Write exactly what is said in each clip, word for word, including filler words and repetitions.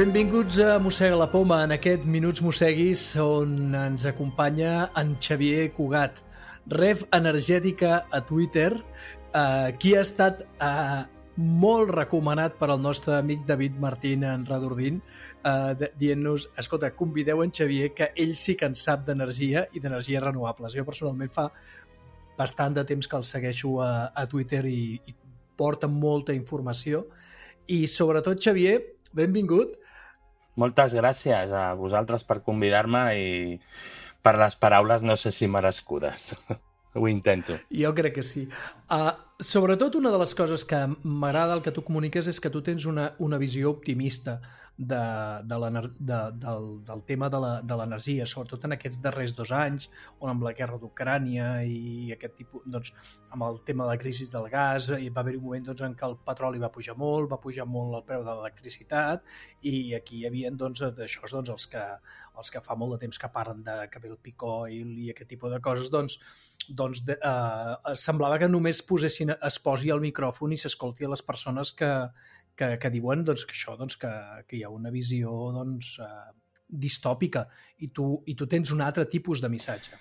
Benvinguts a Mossega la Poma, en aquests Minuts Mosseguis on ens acompanya en Xavier Cugat, ref energètica a Twitter, eh, qui ha estat eh, molt recomanat per al nostre amic David Martín en Radordín, eh, dient-nos, escolta, convideu en Xavier, que ell sí que en sap d'energia i d'energies renovables. Jo personalment fa bastant de temps que el segueixo a, a Twitter i, i porta molta informació. I sobretot, Xavier, benvingut. Moltes gràcies a vosaltres per convidar-me i per les paraules no sé si merescudes. Ho intento. Jo crec que sí. Uh, sobretot una de les coses que m'agrada el que tu comuniques és que tu tens una, una visió optimista de, de de, del, del tema de l'energia, sobretot en aquests darrers dos anys, on amb la guerra d'Ucrània i aquest tipus, doncs, amb el tema de la crisi del gas, i va haver-hi un moment doncs, en què el petroli va pujar molt, va pujar molt el preu de l'electricitat, i aquí hi havia doncs, d'això, doncs, els, que, els que fa molt de temps que parlen de que ve el peak oil i aquest tipus de coses, doncs, doncs de, uh, semblava que només posessin, es posi el micròfon i s'escolti a les persones que, que, que diuen doncs, que això, doncs, que, que hi ha una visió doncs, uh, distòpica i tu, i tu tens un altre tipus de missatge.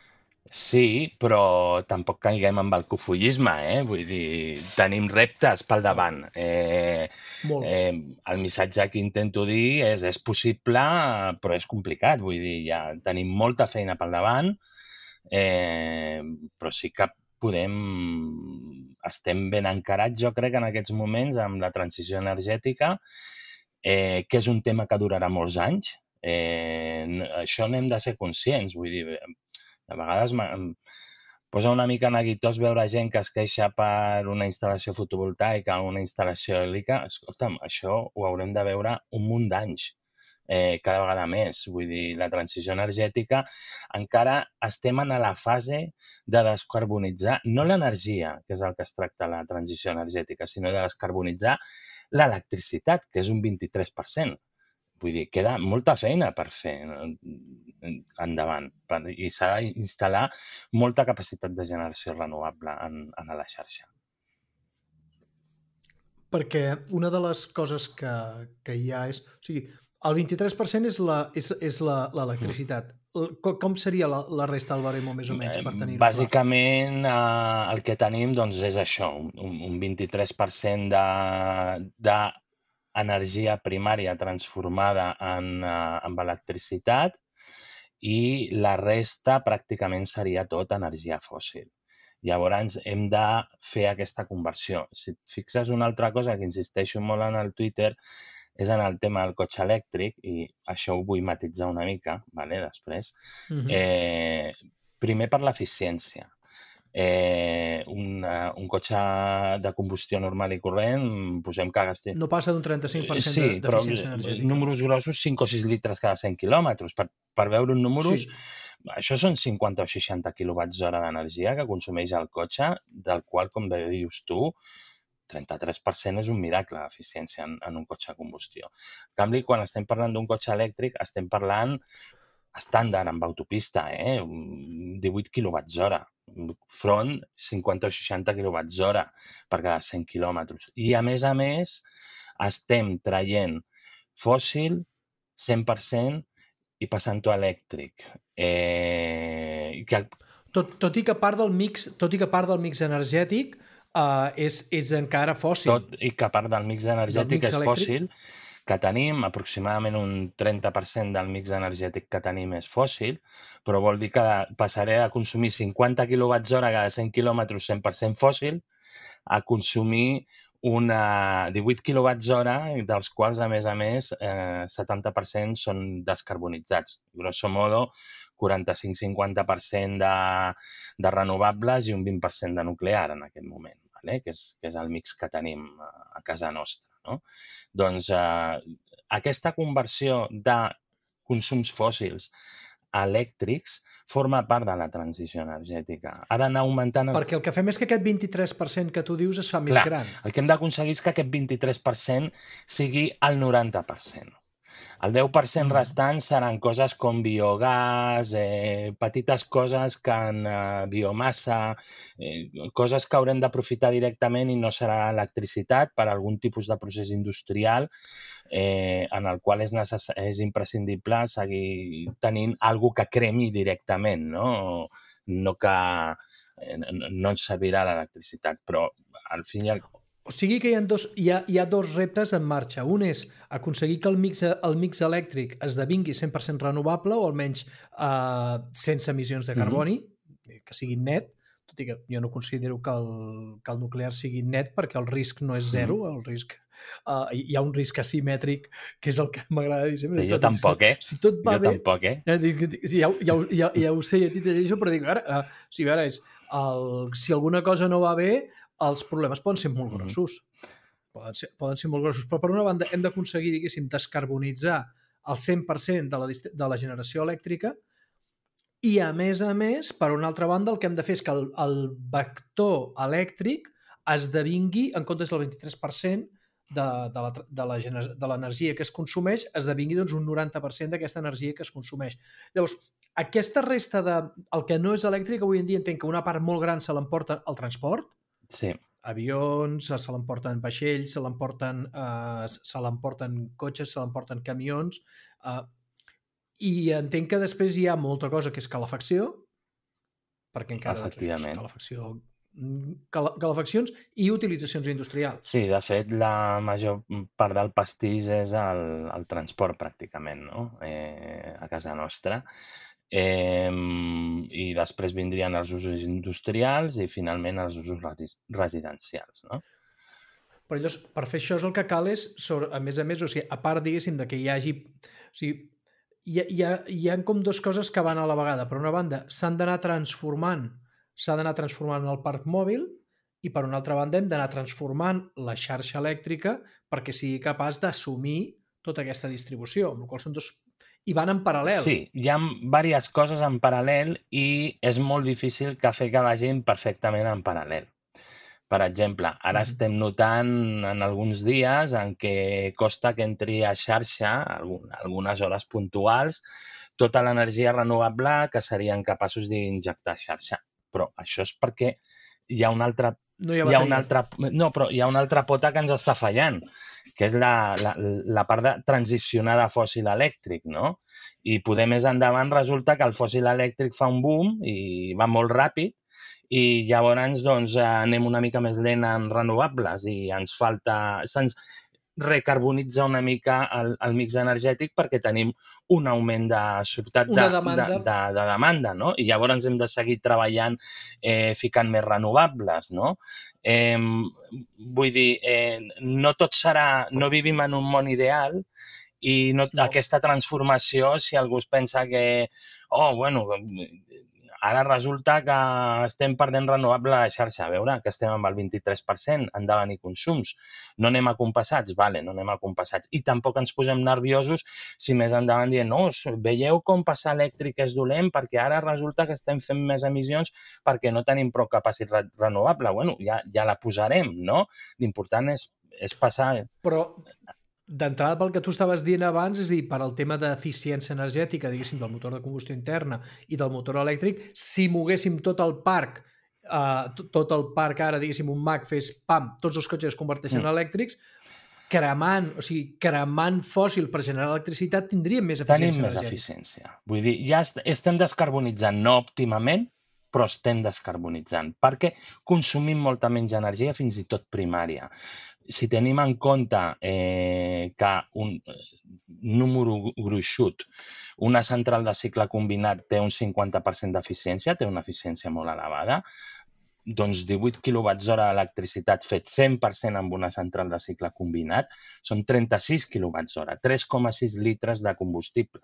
Sí, però tampoc caiguem amb el cofullisme, eh? Vull dir, tenim reptes pel davant. Eh, eh, el missatge que intento dir és és possible, però és complicat. Vull dir, ja tenim molta feina pel davant, eh, però sí que podem... Estem ben encarats, jo crec, en aquests moments amb la transició energètica, eh, que és un tema que durarà molts anys. Eh, això n'hem de ser conscients, vull dir... A vegades em posa una mica neguitós veure gent que es queixa per una instal·lació fotovoltaica o una instal·lació eòlica. Escolta'm, això ho haurem de veure un munt d'anys, eh, cada vegada més. Vull dir, la transició energètica encara estem en la fase de descarbonitzar, no l'energia, que és el que es tracta la transició energètica, sinó de descarbonitzar l'electricitat, que és un vint-i-tres per cent. Vull dir, queda molta feina per fer endavant i s'ha d'instal·lar molta capacitat de generació renovable en, en la xarxa. Perquè una de les coses que, que hi ha és... O sigui, el vint-i-tres per cent és l'electricitat. Com seria la, la resta del baremo, més o menys, per tenir-ho clar? Bàsicament, eh, el que tenim doncs, és això, un, un vint-i-tres per cent de... de energia primària transformada en, uh, en electricitat i la resta pràcticament seria tot energia fòssil. Llavors hem de fer aquesta conversió. Si et fixes, una altra cosa que insisteixo molt en el Twitter és en el tema del cotxe elèctric, i això ho vull matitzar una mica, vale, després. Uh-huh. eh, primer per l'eficiència. Eh, un, uh, un cotxe de combustió normal i corrent, posem que gasti... No passa d'un trenta-cinc per cent sí, d'eficiència energètica. Números grossos, cinc o sis litres cada cent quilòmetres. Per, per veure un números, sí. Això són cinquanta o seixanta quilowatts hora d'energia que consumeix el cotxe, del qual, com bé dius tu, trenta-tres per cent és un miracle d'eficiència en, en un cotxe de combustió. En canvi, quan estem parlant d'un cotxe elèctric, estem parlant estàndard amb autopista, eh? divuit quilowatts hora. Front cinquanta o seixanta quilowatts hora per cada cent quilòmetres. I, a més a més, estem traient fòssil cent per cent i passant-ho a elèctric. Eh, que... tot, tot, i que part del mix, tot i que part del mix energètic uh, és, és encara fòssil. Tot i que part del mix energètic mix és elèctric... fòssil, que tenim, aproximadament un trenta per cent del mix energètic que tenim és fòssil, però vol dir que passaré a consumir cinquanta quilowatts hora cada cent quilòmetres cent per cent fòssil a consumir una divuit quilowatts hora, dels quals, a més a més, eh, setanta per cent són descarbonitzats. Grosso modo, quaranta-cinc a cinquanta per cent de, de renovables i un vint per cent de nuclear en aquest moment, vale? que, és, que és el mix que tenim a casa nostra. No? Doncs eh, aquesta conversió de consums fòssils a elèctrics forma part de la transició energètica. Ha d'anar augmentant... El... Perquè el que fem és que aquest vint-i-tres per cent que tu dius es fa més Clar, gran. El que hem d'aconseguir és que aquest vint-i-tres per cent sigui el noranta per cent. El deu per cent restant seran coses com biogàs, eh, petites coses que en eh, biomassa, eh, coses que haurem d'aprofitar directament i no serà electricitat per algun tipus de procés industrial eh, en el qual és, necess... és imprescindible seguir tenint alguna que cremi directament, no, no que eh, no ens servirà l'electricitat, però al fin i al... O sigui que hi ha, dos, hi, ha, hi ha dos reptes en marxa. Un és aconseguir que el mix, el mix elèctric esdevingui cent per cent renovable o almenys eh, sense emissions de carboni, mm-hmm. que sigui net, tot i que jo no considero que el, que el nuclear sigui net perquè el risc no és zero, mm-hmm. el risc, uh, hi ha un risc asimètric que és el que m'agrada dir sempre. Jo tampoc, eh? Si tot va jo bé, tampoc, eh? Ja, ja, ja, ja ho sé, ja t'hi llegeixo, però dic, ara, uh, si, ara és, el, si alguna cosa no va bé, els problemes poden ser molt grossos. Poden ser, poden ser molt grossos. Però per una banda hem d'aconseguir, diguéssim, descarbonitzar el cent per cent de la, de la generació elèctrica i, a més a més, per una altra banda, el que hem de fer és que el, el vector elèctric esdevingui, en comptes del vint-i-tres per cent de, de, la, de, la, de l'energia que es consumeix, esdevingui doncs, un noranta per cent d'aquesta energia que es consumeix. Llavors, aquesta resta de... El que no és elèctric, avui en dia entenc que una part molt gran se l'emporta el transport. Sí. Avions, se l'emporten vaixells, se l'emporten eh, se l'emporten cotxes, se l'emporten camions, eh, i entenc que després hi ha molta cosa que és calefacció, perquè encara doncs, és calefacció, calefaccions i utilitzacions industrials. Sí, de fet, la major part del pastís és el, el transport, pràcticament, no? Eh, a casa nostra. Eh, I després vindrien els usos industrials i finalment els usos residencials, no? Però llavors, per fer això, el que cal és, a més a més, o sigui, a part, diguéssim, de que hi hagi... O sigui, hi ha, hi ha, hi ha com dues coses que van a la vegada. Per una banda, s'han d'anar transformant, s'ha d'anar transformant el parc mòbil i, per una altra banda, hem d'anar transformant la xarxa elèctrica perquè sigui capaç d'assumir tota aquesta distribució, amb la qual són dos... I van en paral·lel. Sí, hi ha diverses coses en paral·lel i és molt difícil que fer que vagin perfectament en paral·lel. Per exemple, ara mm-hmm. estem notant en alguns dies en què costa que entri a xarxa, algunes hores puntuals, tota l'energia renovable que serien capaços d'injectar a xarxa. Però això és perquè hi ha una altra... No hi ha, hi ha una altra, no, però hi ha una altra pota que ens està fallant, que és la, la, la part de transicionar de fòssil elèctric, no? I poder més endavant resulta que el fòssil elèctric fa un boom i va molt ràpid i llavors doncs, anem una mica més lent en renovables i ens falta... Se'ns recarbonitza una mica el, el mix energètic perquè tenim un augment de sobtat de, demanda. De, de, de demanda, no? I llavors hem de seguir treballant eh, ficant més renovables, no? Eh, vull dir, eh, no tot serà... No vivim en un món ideal i no, no. Aquesta transformació, si algú es pensa que, oh, bueno, ara resulta que estem perdent renovable a la xarxa. A veure, que estem amb el vint-i-tres per cent, han de venir consums. No anem acompassats? Vale, no anem acompassats. I tampoc ens posem nerviosos si més endavant dient, no, veieu com passar elèctric és dolent perquè ara resulta que estem fent més emissions perquè no tenim prou capacitat renovable. Bueno, ja, ja la posarem, no? L'important és, és passar... Però... D'entrada, pel que tu estaves dient abans, és a dir, per al tema d'eficiència energètica, diguéssim, del motor de combustió interna i del motor elèctric, si moguéssim tot el parc, eh, tot el parc ara, diguéssim, un Mac fes, pam, tots els cotxes es converteixen en elèctrics, cremant, o sigui, cremant fòssil per generar electricitat, tindríem més eficiència Tenim energètica. Tenim més eficiència. Vull dir, ja estem descarbonitzant, no òptimament, però estem descarbonitzant, perquè consumim molta menys energia, fins i tot primària. Si tenim en compte eh, que un número gruixut, una central de cicle combinat té un cinquanta per cent d'eficiència, té una eficiència molt elevada, doncs divuit quilowatts hora d'electricitat fet cent per cent amb una central de cicle combinat són trenta-sis quilowatts hora, tres coma sis litres de combustible.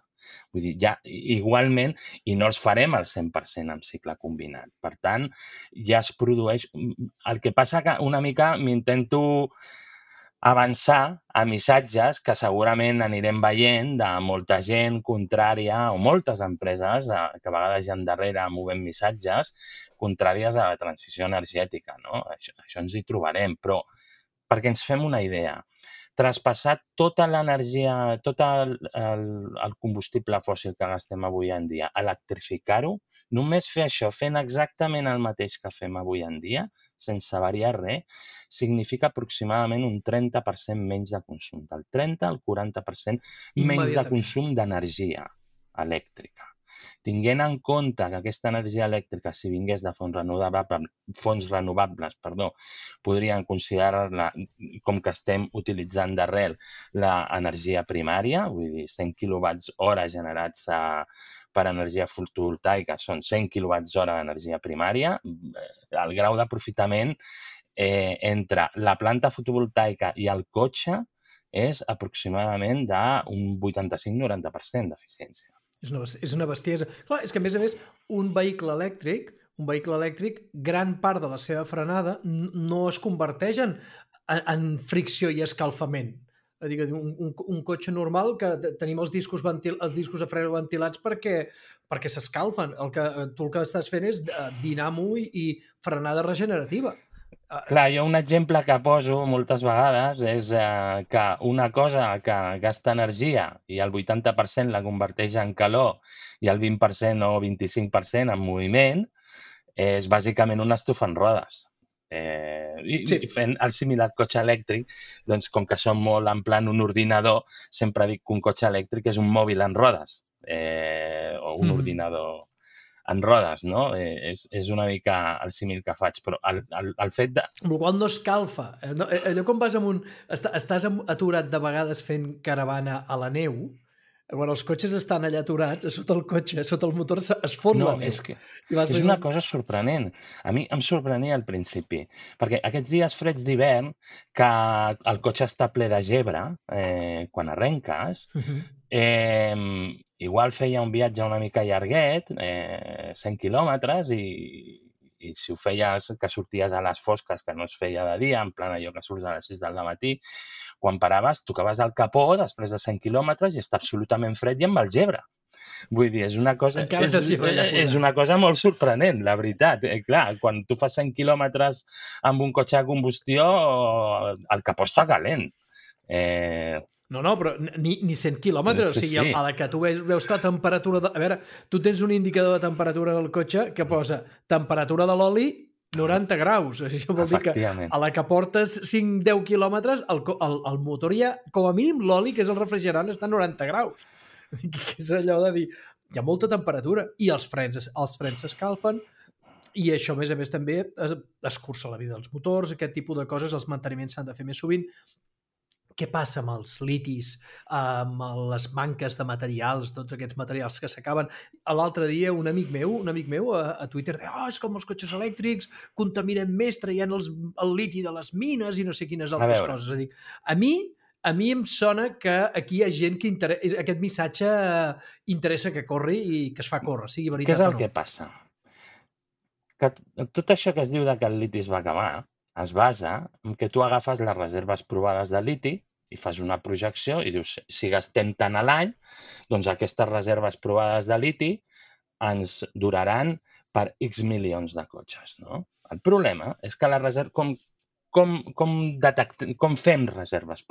Vull dir, ja igualment, i no els farem al cent per cent amb cicle combinat. Per tant, ja es produeix... El que passa que una mica m'intento avançar a missatges que segurament anirem veient de molta gent contrària o moltes empreses que a vegades hi ha darrere movent missatges contràries a la transició energètica, no? Això, això ens hi trobarem, però perquè ens fem una idea, traspassar tota l'energia, tot el, el, el combustible fòssil que gastem avui en dia, electrificar-ho, només fer això, fent exactament el mateix que fem avui en dia, sense variar res, significa aproximadament un trenta per cent menys de consum, del trenta al quaranta per cent menys de consum d'energia elèctrica. Tinguent en compte que aquesta energia elèctrica, si vingués de fonts renovables, fonts renovables perdó, podrien considerar-la com que estem utilitzant d'arrel l'energia primària, vull dir, cent quilowatts hora generats a, per energia fotovoltaica són cent quilowatts hora d'energia primària, el grau d'aprofitament eh, entre la planta fotovoltaica i el cotxe és aproximadament d'un vuitanta-cinc a noranta per cent d'eficiència. És una, és una bestiesa. Clar, és que, a més a més, un vehicle elèctric, un vehicle elèctric, gran part de la seva frenada no es converteix en, en fricció i escalfament. És a dir, un, un, un cotxe normal que tenim els discos, ventil, els discos de freno ventilats perquè, perquè s'escalfen. El que, tu el que estàs fent és dinamo i, i frenada regenerativa. Clar, jo un exemple que poso moltes vegades és eh, que una cosa que gasta energia i el vuitanta per cent la converteix en calor i el vint per cent o vint-i-cinc per cent en moviment és bàsicament una estufa en rodes. Eh, i, sí. I fent el similar cotxe elèctric, doncs com que som molt en plan un ordinador, sempre dic que un cotxe elèctric és un mòbil en rodes eh, o un mm. ordinador en rodes, no? Eh, és, és una mica el símil que faig, però el, el, el fet de... El qual no escalfa. No, allò com vas amb un... Estàs aturat de vegades fent caravana a la neu, quan els cotxes estan allà aturats, sota el cotxe, sota el motor es fon no, la neu. És, que és una cosa sorprenent. A mi em sorprenia al principi, perquè aquests dies freds d'hivern, que el cotxe està ple de gebre, eh, quan arrenques, uh-huh. eh, igual feia un viatge una mica llarguet, eh, cent quilòmetres, i, i si ho feies que sorties a les fosques, que no es feia de dia, en plan allò que surts a les sis del matí, quan paraves, tocaves el capó després de cent quilòmetres i està absolutament fred i amb el gebre. Vull dir, és una cosa, és, és una cosa molt sorprenent, la veritat. Eh, clar, quan tu fas cent quilòmetres amb un cotxe de combustió, el capó està calent. Eh... No, no, però ni, ni cent quilòmetres. Sí, o sigui, sí. A la que tu veus, veus que la temperatura... De... A veure, tu tens un indicador de temperatura del cotxe que posa temperatura de l'oli noranta graus. Això vol dir que a la que portes cinc a deu quilòmetres, el, el, el motor ja, com a mínim l'oli, que és el refrigerant, està a noranta graus. Que és allò de dir, hi ha molta temperatura i els frens els frens s'escalfen i això, a més a més, també escurça la vida dels motors, aquest tipus de coses, els manteniments s'han de fer més sovint. Què passa amb els litis, amb les manques de materials, tots aquests materials que s'acaben? L'altre dia un amic meu, un amic meu a, a Twitter deia, oh, és com els cotxes elèctrics contaminen més traient els, el liti de les mines i no sé quines altres coses. A, dir, a mi a mi em sona que aquí hi ha gent que interessa, aquest missatge interessa que corri i que es fa córrer, sigui veritat o no. Què és el que passa? Que tot això que es diu de que el liti es va acabar es basa en que tu agafes les reserves provades de liti i fas una projecció i dius, si gastem tant a l'any, doncs aquestes reserves provades de liti ens duraran per X milions de cotxes, no? El problema és que la reserva, com, com, com, detectem, com fem reserves,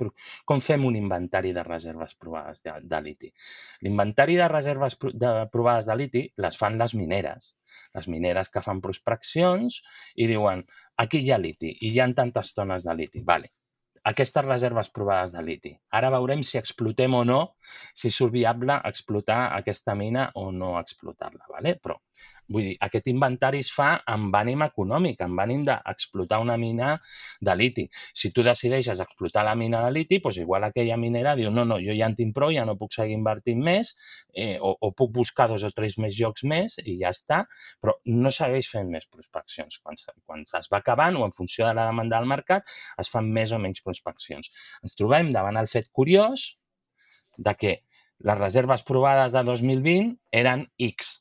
com fem un inventari de reserves provades de, de liti? L'inventari de reserves de, provades de liti les fan les mineres. Les mineres que fan prospeccions i diuen, aquí hi ha liti i hi ha tantes tones de liti. Vale. Aquestes reserves provades de liti. Ara veurem si explotem o no, si surt viable explotar aquesta mina o no explotar-la. Vale? Però, vull dir, aquest inventari es fa amb ànim econòmic, amb ànim d'explotar una mina de liti. Si tu decideixes explotar la mina de liti, doncs igual aquella minera diu, no, no, jo ja en tinc prou, ja no puc seguir invertint més, eh, o, o puc buscar dos o tres més llocs més i ja està, però no segueix fent més prospeccions. Quan, quan es va acabant o en funció de la demanda del mercat, es fan més o menys prospeccions. Ens trobem davant el fet curiós de que les reserves provades de dos mil vint eren X.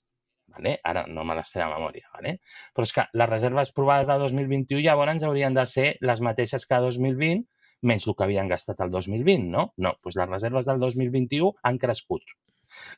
Vale? Ara no me les sé de memòria, vale? Però és que les reserves provades de dos mil vint-i-u llavors haurien de ser les mateixes que dos mil vint, menys el que havien gastat el dos mil vint, no? No, doncs les reserves del dos mil vint-i-u han crescut.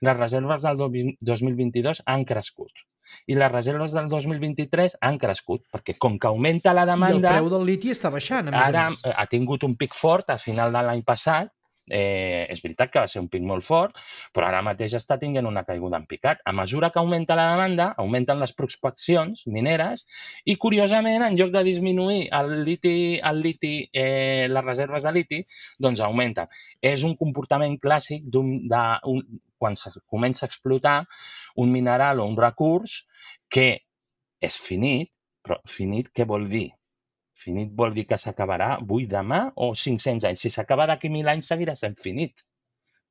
Les reserves del dos mil vint-i-dos han crescut. i les reserves del dos mil vint-i-tres han crescut, perquè com que augmenta la demanda... I el preu del liti està baixant, a més ara a més. ha tingut un pic fort a final de l'any passat. Eh, és veritat que va ser un pic molt fort, però ara mateix està tinguent una caiguda en picat. A mesura que augmenta la demanda, augmenten les prospeccions mineres i, curiosament, en lloc de disminuir el liti, el liti eh, les reserves de liti, doncs augmenten. És un comportament clàssic d'un, de, un, quan se comença a explotar un mineral o un recurs que és finit, però finit què vol dir? Finit vol dir que s'acabarà avui, demà o cinc-cents anys. Si s'acaba d'aquí mil anys, seguirà sent finit,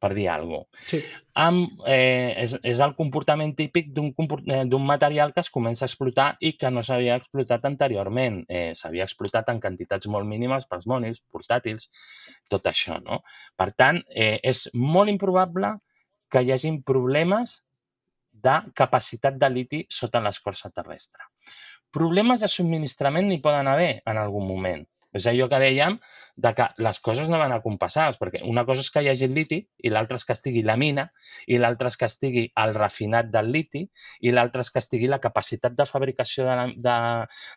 per dir alguna cosa. Sí. Amb, eh, és, és el comportament típic d'un material que es comença a explotar i que no s'havia explotat anteriorment. Eh, s'havia explotat en quantitats molt mínimes pels mòbils, portàtils, tot això, no? Per tant, eh, és molt improbable que hi hagin problemes de capacitat de liti sota l'escorça terrestre. Problemes de subministrament n'hi poden haver en algun moment. És allò que dèiem de que les coses no van acompassades, perquè una cosa és que hi hagi el liti i l'altra és que estigui la mina i l'altra és que estigui el refinat del liti i l'altra és que estigui la capacitat de fabricació de, de,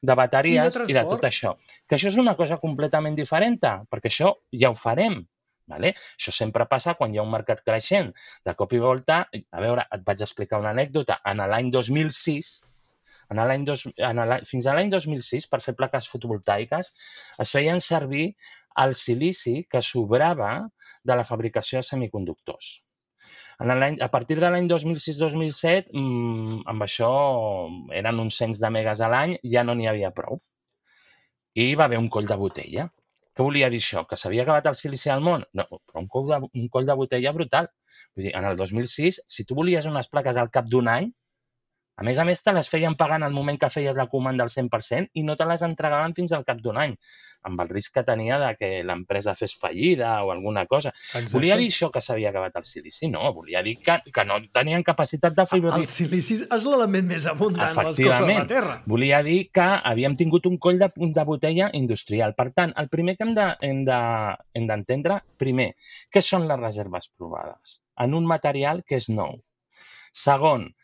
de bateries i de, i de tot això. Que això és una cosa completament diferent, perquè això ja ho farem. Vale? Això sempre passa quan hi ha un mercat creixent. De cop i volta, a veure, et vaig explicar una anècdota. En l'any dos mil sis, en l'any dos, en fins a l'any dos mil sis, per fer plaques fotovoltaiques, es feien servir el silici que sobrava de la fabricació de semiconductors. En a partir de l'any dos mil sis dos mil set, mmm, amb això eren uns cents de megas a l'any, ja no n'hi havia prou. I va haver un coll de botella. Què volia dir això? Que s'havia acabat el silici al món? No, però un coll de, un coll de botella brutal. Vull dir, en el dos mil sis, si tu volies unes plaques al cap d'un any, a més a més, te les feien pagar en el moment que feies la comanda al cent per cent i no te les entregaven fins al cap d'un any, amb el risc que tenia de que l'empresa fes fallida o alguna cosa. Exacte. Volia dir això que s'havia acabat el silici? No, volia dir que, que no tenien capacitat de fabricar. El silici és l'element més abundant de les coses de la Terra. Volia dir que havíem tingut un coll de, de botella industrial. Per tant, el primer que hem de, hem de, hem d'entendre, primer, què són les reserves provades? En un material que és nou. Segon,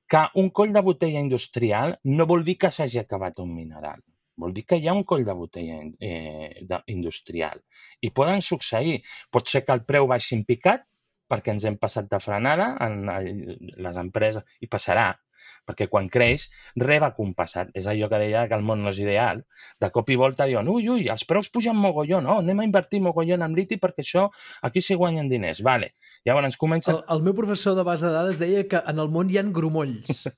que un coll de botella industrial no vol dir que s'hagi acabat un mineral. Vol dir que hi ha un coll de botella eh, de, industrial. I poden succeir. Pot ser que el preu baixi en picat, perquè ens hem passat de frenada en les empreses, i passarà, perquè quan creix, reba compassat. És allò que deia que el món no és ideal. De cop i volta diuen, ui, ui, els preus pugen mogollon, no, anem a invertir mogollon en liti perquè això, aquí s'hi guanyen diners. Vale. Llavors comença... El, el meu professor de base de dades deia que en el món hi ha grumolls.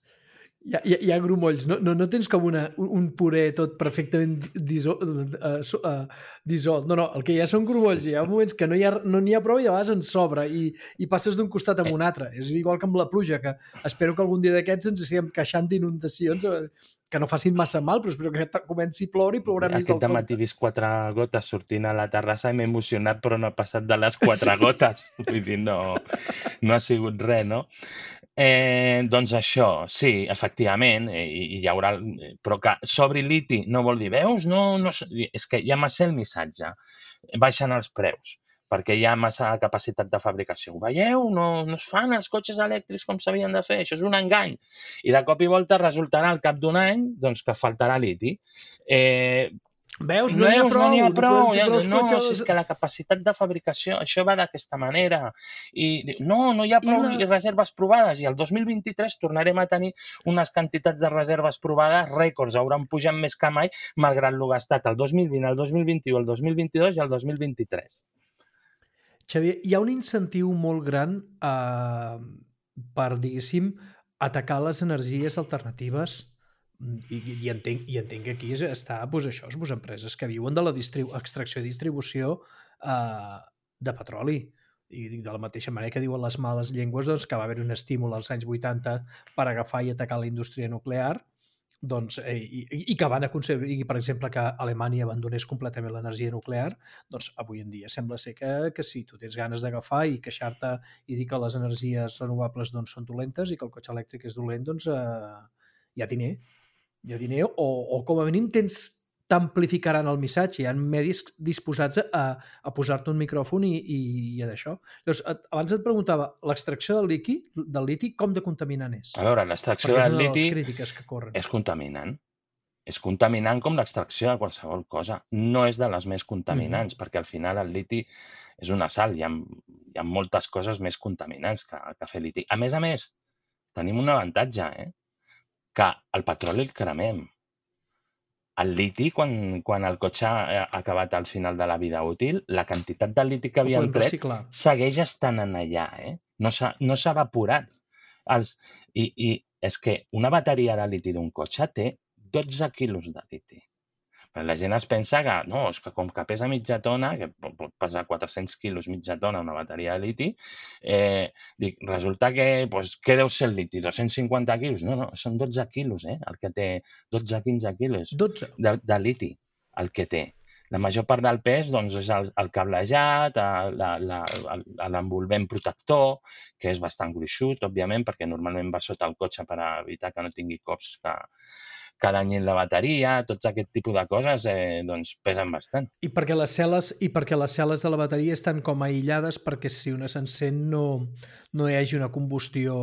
Hi ha, hi ha, hi ha grumolls. No, no, no tens com una, un puré tot perfectament disol, uh, uh, dissolt. No, no, el que hi ha són grumolls. Hi ha moments que no n'hi ha, no n'hi ha prou i a vegades en sobra i, i passes d'un costat a un altre. És igual que amb la pluja, que espero que algun dia d'aquests ens estiguem queixant d'inundacions que no facin massa mal, però espero que comenci a ploure i plourà més del compte. Aquest dematí he vist quatre gotes sortint a la terrassa i m'he emocionat, però no ha passat de les quatre sí. gotes. Vull dir, no, no ha sigut res, no? Eh, doncs això, sí, efectivament, eh, hi hi haurà... Però que s'obri liti no vol dir, veus? No, no, és que ja m'ha el missatge. Baixen els preus, perquè hi ha massa capacitat de fabricació. Ho veieu? No, no es fan els cotxes elèctrics com s'havien de fer. Això és un engany. I de cop i volta resultarà al cap d'un any doncs, que faltarà liti. Eh, Veus? No n'hi ha prou. No n'hi ha prou. No, no, no cotxes... si és que la capacitat de fabricació, això va d'aquesta manera. I no, no hi ha prou la... reserves provades. I el dos mil vint-i-tres tornarem a tenir unes quantitats de reserves provades rècords. Hauran pujat més que mai, malgrat el gastat el dos mil vint, el dos mil vint-i-u, el dos mil vint-i-dos i el dos mil vint-i-tres. Xavier, hi ha un incentiu molt gran eh, per, diguéssim, atacar les energies alternatives i, i, entenc, i entenc que aquí està doncs, això, doncs, empreses que viuen de la distribu- extracció i distribució eh, de petroli. I de la mateixa manera que diuen les males llengües doncs, que va haver un estímul als anys vuitanta per agafar i atacar la indústria nuclear, doncs, eh, i, i que van aconseguir, per exemple, que Alemanya abandonés completament l'energia nuclear, doncs avui en dia sembla ser que, que si tu tens ganes d'agafar i queixar-te i dir que les energies renovables doncs, són dolentes i que el cotxe elèctric és dolent, doncs eh, hi ha diner. Hi ha diner o, o com a mínim tens, t'amplificaran el missatge. Hi ha medis disposats a, a posar-te un micròfon i, i, i d'això. Llavors, abans et preguntava, l'extracció del liti, del liti com de contaminant és? A veure, l'extracció del liti és una de les crítiques que corren. És contaminant. És contaminant com l'extracció de qualsevol cosa. No és de les més contaminants, uh-huh. perquè al final el liti és una sal. Hi ha, hi ha moltes coses més contaminants que, que fer liti. A més a més, tenim un avantatge, eh? que el petroli el cremem. El liti, quan, quan el cotxe ha acabat al final de la vida útil, la quantitat de liti que havíem tret segueix estant en allà. Eh? No s'ha no s'ha evaporat. Els, i, I és que una bateria de liti d'un cotxe té dotze quilos de liti. Però la gent es pensa que, no, és que com que pesa mitja tona, que pot pesar quatre-cents quilos mitja tona una bateria de liti, eh, dic, resulta que, doncs, què deu ser el liti? dos-cents cinquanta quilos? No, no, són dotze quilos, eh? El que té dotze a quinze quilos de, de liti, el que té. La major part del pes, doncs, és el, el cablejat, l'envolvent protector, que és bastant gruixut, òbviament, perquè normalment va sota el cotxe per evitar que no tingui cops que que danyin la bateria, tots aquest tipus de coses eh, doncs pesen bastant. I perquè les cel·les i perquè les cel·les de la bateria estan com aïllades perquè si una s'encén no, no hi hagi una combustió,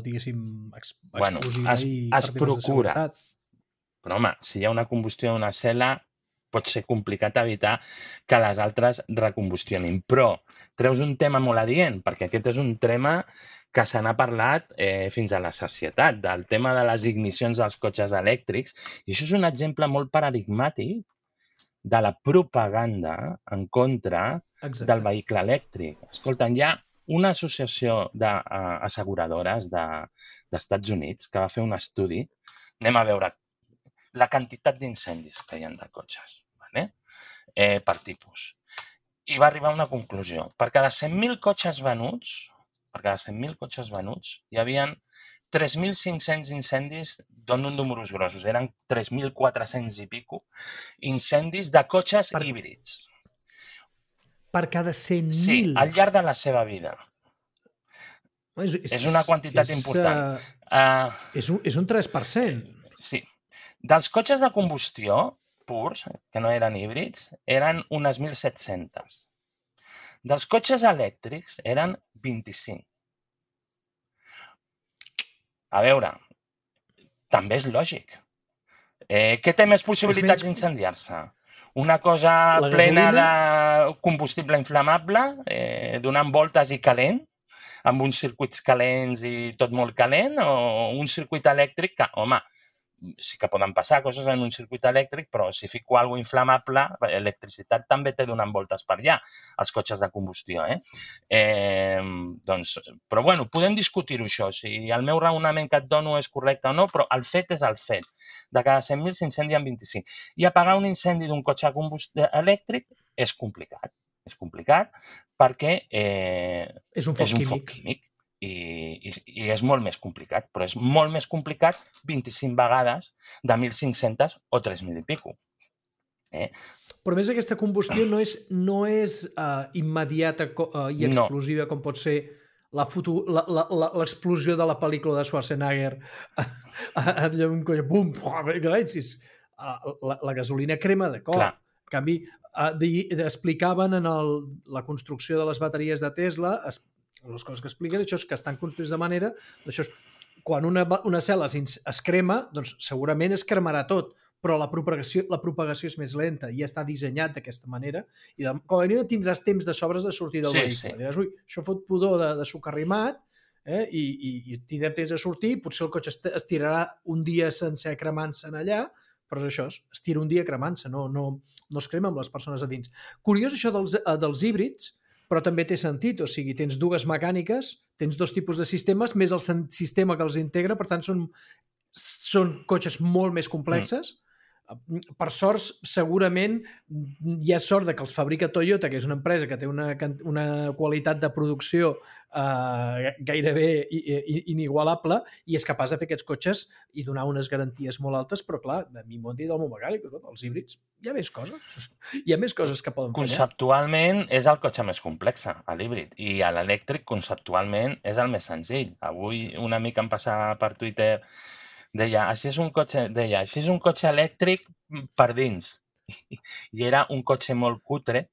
diguéssim, ex bueno, explosiva es, i es procura. Però home, si hi ha una combustió d'una cel·la, pot ser complicat evitar que les altres recombustionin. Però treus un tema molt adient, perquè aquest és un tema que se n'ha parlat eh, fins a la sacietat, del tema de les ignicions dels cotxes elèctrics, i això és un exemple molt paradigmàtic de la propaganda en contra Exacte. Del vehicle elèctric. Escolta, hi ha una associació d'asseguradores de, d'Estats Units que va fer un estudi, anem a veure la quantitat d'incendis que hi ha de cotxes, vale? eh, per tipus. I va arribar a una conclusió. Per cada cent mil cotxes venuts, per cada cent mil cotxes venuts, hi havia tres mil cinc-cents incendis, dono números grossos, eren tres mil quatre-cents i pico, incendis de cotxes per, híbrids. Per cada cent mil? Sí, al llarg de la seva vida. És, és, és una quantitat és, important. Uh, uh, és, un, és un tres per cent. Sí. Dels cotxes de combustió purs, que no eren híbrids, eren unes mil set-cents. Dels cotxes elèctrics eren vint-i-cinc. A veure, també és lògic. Eh, què té més possibilitats d'incendiar-se? Una cosa la plena gasolina? De combustible inflamable, eh, donant voltes i calent, amb uns circuits calents i tot molt calent, o un circuit elèctric que, home, sí que poden passar coses en un circuit elèctric, però si fico alguna cosa inflamable, l'electricitat també té donant voltes per allà, els cotxes de combustió. Eh? Eh, doncs, però bueno, podem discutir-ho això, si el meu raonament que et dono és correcte o no, però el fet és el fet. De cada cent mil s'incendien vint-i-cinc. I apagar un incendi d'un cotxe de combustió elèctric és complicat. És complicat perquè eh, és un foc és un químic. Foc químic. I, i, i és molt més complicat, però és molt més complicat vint-i-cinc vegades de mil cinc-cents o tres mil i pico. Eh? Però més aquesta combustió no és, no és uh, immediata uh, i explosiva no. Com pot ser l'explosió de la pel·lícula de Schwarzenegger allà un coll, bum, la, la gasolina crema de cop. Clar. En canvi, uh, explicaven en el, la construcció de les bateries de Tesla, es, les coses que expliquen, això és que estan construïts de manera, això és, quan una, una cel·la es crema, doncs segurament es cremarà tot, però la propagació, la propagació és més lenta i està dissenyat d'aquesta manera i de, com a mínim tindràs temps de sobres de sortir del sí, vehicle. Sí. Diràs, ui, això fot pudor de, de suc arrimat eh, i, i, i tindrem temps de sortir, potser el cotxe es tirarà un dia sencer cremant-se allà, però és això, es tira un dia cremant-se, no, no, no es crema amb les persones a dins. Curiós això dels, dels híbrids, però també té sentit, o sigui, tens dues mecàniques, tens dos tipus de sistemes, més el sistema que els integra, per tant, són, són cotxes molt més complexes. Mm. Per sort, segurament, hi ha sort de que els fabrica Toyota, que és una empresa que té una, una qualitat de producció eh, gairebé inigualable i és capaç de fer aquests cotxes i donar unes garanties molt altes, però clar, a mi m'ho han dit del meu mecànic, els híbrids, hi ha més coses, hi ha més coses que poden fer. Conceptualment és el cotxe més complex, l'híbrid, i l'elèctric conceptualment és el més senzill. Avui una mica em passava per Twitter Deia, així és un cotxe, deia, així és un cotxe elèctric per dins. i era un cotxe molt cutre,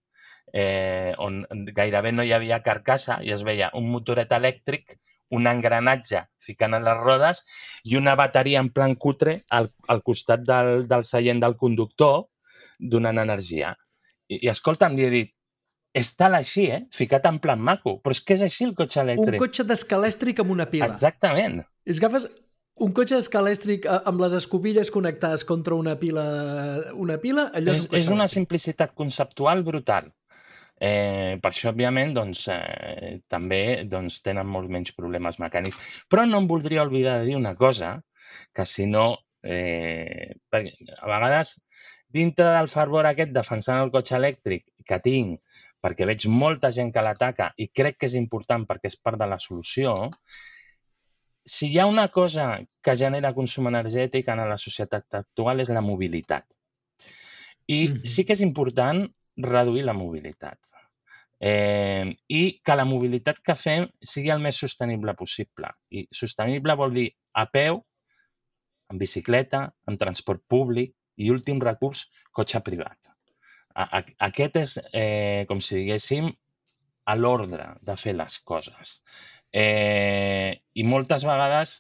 eh, on gairebé no hi havia carcassa i es veia un motoret elèctric, un engranatge ficant a les rodes i una bateria en plan cutre al, al costat del, del seient del conductor donant energia. I, i escolta'm, li he dit, és tal així, eh? Ficat en plan maco. Però és que és així el cotxe elèctric. Un cotxe d'escalèstric amb una pila. Exactament. És agafes un cotxe d'escalèstric amb les escobilles connectades contra una pila, una pila allò és, és, un és una simplicitat conceptual brutal. Eh, per això, òbviament, doncs, eh, també doncs, tenen molts menys problemes mecànics. Però no em voldria oblidar de dir una cosa, que si no, eh, a vegades, dintre del fervor aquest defensant el cotxe elèctric que tinc, perquè veig molta gent que l'ataca i crec que és important perquè és part de la solució, si hi ha una cosa que genera consum energètic en la societat actual és la mobilitat. I mm-hmm. sí que és important reduir la mobilitat. Eh, I que la mobilitat que fem sigui el més sostenible possible. I sostenible vol dir a peu, en bicicleta, en transport públic i, últim recurs, cotxe privat. Aquest és, eh, com si diguéssim, a l'ordre de fer les coses. Eh, I moltes vegades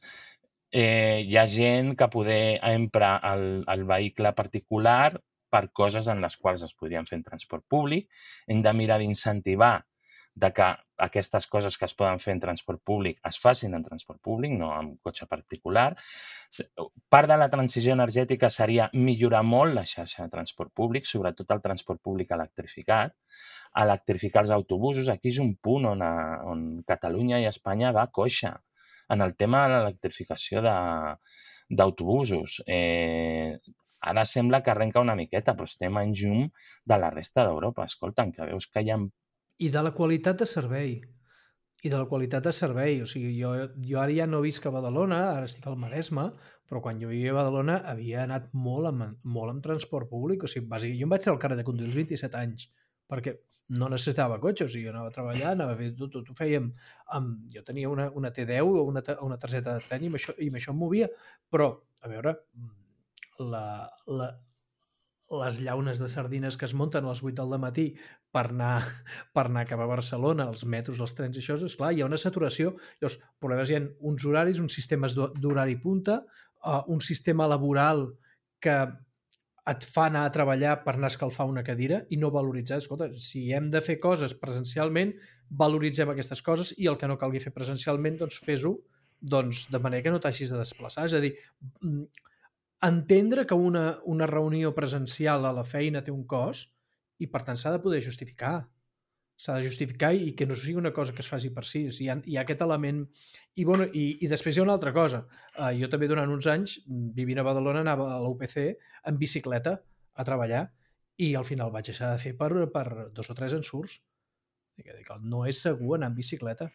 eh, hi ha gent que poder emprar el, el vehicle particular per coses en les quals es podrien fer en transport públic. Hem de mirar d'incentivar de que aquestes coses que es poden fer en transport públic es facin en transport públic, no en cotxe particular. Part de la transició energètica seria millorar molt la xarxa de transport públic, sobretot el transport públic electrificat, electrificar els autobusos. Aquí és un punt on, on Catalunya i Espanya va coixa en el tema de l'electrificació d'autobusos. Eh, ara sembla que arrenca una miqueta, però estem en llum de la resta d'Europa. Escolta'm, que veus que hi ha... I de la qualitat de servei. I de la qualitat de servei. O sigui, jo, jo ara ja no visc a Badalona, ara estic al Maresme, però quan jo vivia a Badalona havia anat molt amb, molt amb transport públic. O sigui, bàsicament, jo em vaig ser al carrer de conduir als vint-i-set anys, perquè no necessitava cotxe, o sigui, jo anava a treballar, anava a fer tot, tot ho fèiem. Amb, jo tenia una, una T deu o una, una targeta de tren i amb això, i amb això em movia. Però, a veure, la, la, les llaunes de sardines que es munten a les vuit del matí per anar, per anar cap a Barcelona, els metros, els trens, això, és clar, hi ha una saturació. Llavors, problemes hi ha uns horaris, uns sistemes d'horari punta, uh, un sistema laboral que et fa anar a treballar per anar a escalfar una cadira i no valoritzar. Escolta, si hem de fer coses presencialment, valoritzem aquestes coses i el que no calgui fer presencialment, doncs fes-ho doncs, de manera que no t'hagis de desplaçar. És a dir, entendre que una, una reunió presencial a la feina té un cost i, per tant, s'ha de poder justificar. S'ha de justificar i que no sigui una cosa que es faci per si. O sigui, hi, ha, hi ha aquest element. I, bueno, i, i després hi ha una altra cosa. Uh, jo també durant uns anys, vivint a Badalona, anava a la U P C en bicicleta a treballar i al final vaig deixar de fer per, per dos o tres ensurts. No és segur anar en bicicleta.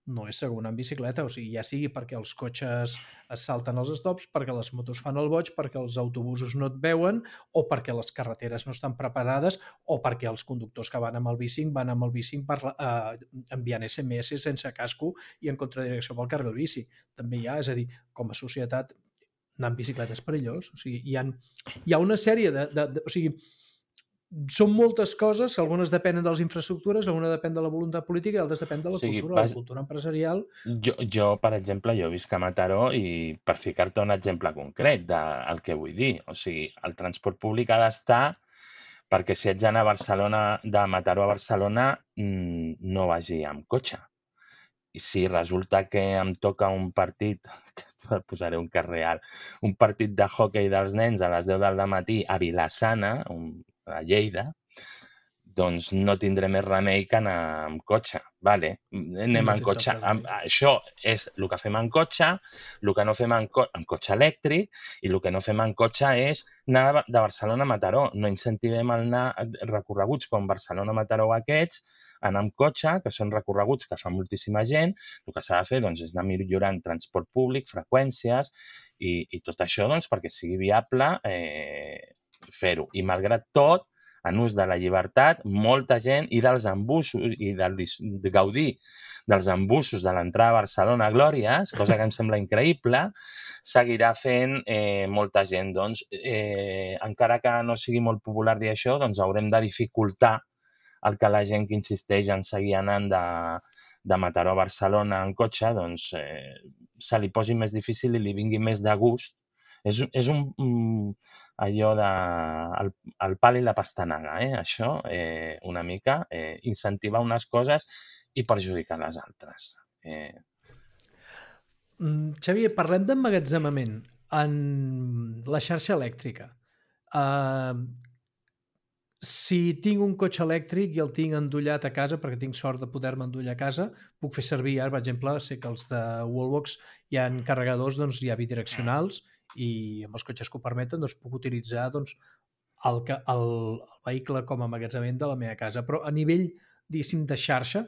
No és segur anar en bicicleta, o sigui, ja sigui perquè els cotxes es salten els stops, perquè les motos fan el boig, perquè els autobusos no et veuen, o perquè les carreteres no estan preparades, o perquè els conductors que van amb el bici van amb el bici per, eh, enviant S M S sense casco i en contradirecció pel carril bici. També hi ha, és a dir, com a societat, anar en bicicleta és perillós. O sigui, hi ha, hi ha una sèrie de... de, de o sigui, són moltes coses, algunes depenen de les infraestructures, alguna depèn de la voluntat política i altres depèn de la sí, cultura, vas... la cultura empresarial. Jo, jo, per exemple, jo visc a Mataró i per ficar-te un exemple concret del que vull dir, o sigui, el transport públic ha d'estar perquè si haig d'anar a Barcelona, de Mataró a Barcelona, no vagi amb cotxe. I si resulta que em toca un partit, posaré un cas real, un partit de hoquei dels nens a les deu del matí a Vila-sana, un a Lleida, doncs no tindré més remei que anar amb cotxe. Vale, anem no en cotxe. Amb, això és el que fem en cotxe, el que no fem en, co en cotxe elèctric i el que no fem en cotxe és anar de Barcelona a Mataró. No incentivem el anar recorreguts com Barcelona-Mataró aquests, anar amb cotxe, que són recorreguts que fa moltíssima gent. El que s'ha de fer doncs, és anar millorant transport públic, freqüències i, i tot això doncs, perquè sigui viable eh, fer-ho. I malgrat tot, en ús de la llibertat, molta gent i dels embussos i del, de gaudir dels embussos de l'entrada a Barcelona a Glòries, cosa que em sembla increïble, seguirà fent eh, molta gent. Doncs, eh, encara que no sigui molt popular dir això, doncs haurem de dificultar el que la gent que insisteix en seguir anant de, de Mataró a Barcelona en cotxe, doncs eh, se li posi més difícil i li vingui més de gust. És, és un, un allò de el, el pal i la pastanaga, eh? Això, eh, una mica, eh, incentivar unes coses i perjudicar les altres. Eh... Mm, Xavier, parlem d'emmagatzemament en la xarxa elèctrica. Uh, si tinc un cotxe elèctric i el tinc endollat a casa, perquè tinc sort de poder-me endollar a casa, puc fer servir, ara, per exemple, sé que els de Wallbox hi ha carregadors, doncs hi ha bidireccionals, i amb els cotxes que ho permeten doncs, puc utilitzar doncs, el, el, el vehicle com a emmagatzemament de la meva casa. Però a nivell, diguéssim, de xarxa,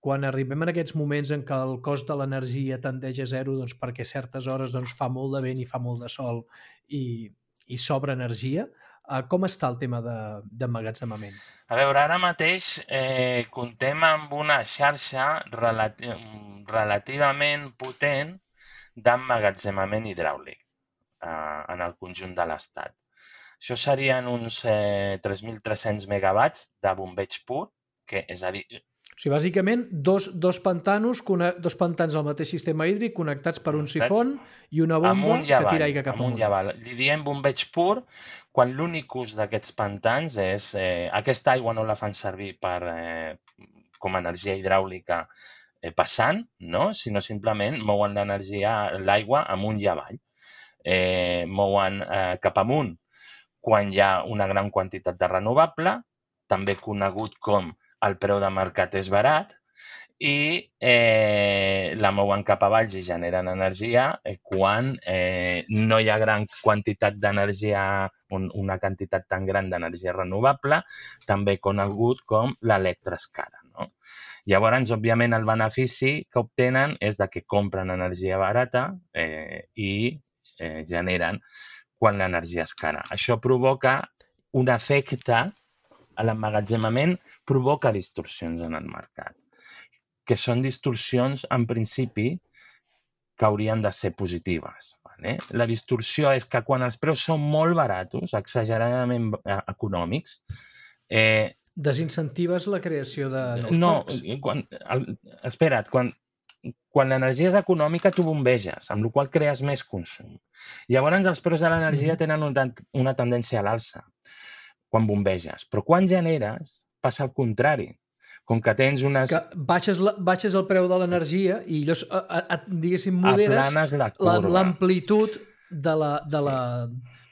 quan arribem en aquests moments en què el cost de l'energia tendeix a zero doncs, perquè a certes hores doncs, fa molt de vent i fa molt de sol i, i sobra energia, eh, com està el tema d'emmagatzemament? A veure, ara mateix eh, comptem amb una xarxa relati relativament potent d'emmagatzemament hidràulic eh, en el conjunt de l'Estat. Això serien uns eh, tres mil tres-cents megawatts de bombeig pur, que és a dir... O sigui, bàsicament, dos, dos pantanos, dos pantans al mateix sistema hídric connectats per un sifon i una bomba que tira aigua cap amunt. amunt. Li diem bombeig pur quan l'únic ús d'aquests pantans és... Eh, aquesta aigua no la fan servir per, eh, com a energia hidràulica eh, passant, no? Sinó simplement mouen l'energia, l'aigua amunt i avall. Eh, mouen eh, cap amunt quan hi ha una gran quantitat de renovable, també conegut com el preu de mercat és barat, i eh, la mouen cap avall i generen energia eh, quan eh, no hi ha gran quantitat d'energia, un, una quantitat tan gran d'energia renovable, també conegut com l'electroescala, no? Llavors, òbviament, el benefici que obtenen és de que compren energia barata eh, i eh, generen quan l'energia és cara. Això provoca un efecte a l'emmagatzemament, provoca distorsions en el mercat, que són distorsions, en principi, que haurien de ser positives. Vale? La distorsió és que quan els preus són molt baratos, exageradament econòmics... Eh, Desincentives la creació de nous no, parcs. Quan, el, espera't, quan, quan l'energia és econòmica tu bombeges, amb la qual crees més consum. Llavors els preus de l'energia tenen una, una tendència a l'alça quan bombeges, però quan generes passa el contrari. Com que tens unes... Que baixes, la, baixes el preu de l'energia i llavors, a, a, a, diguéssim, moderes l'amplitud de la... De sí. la...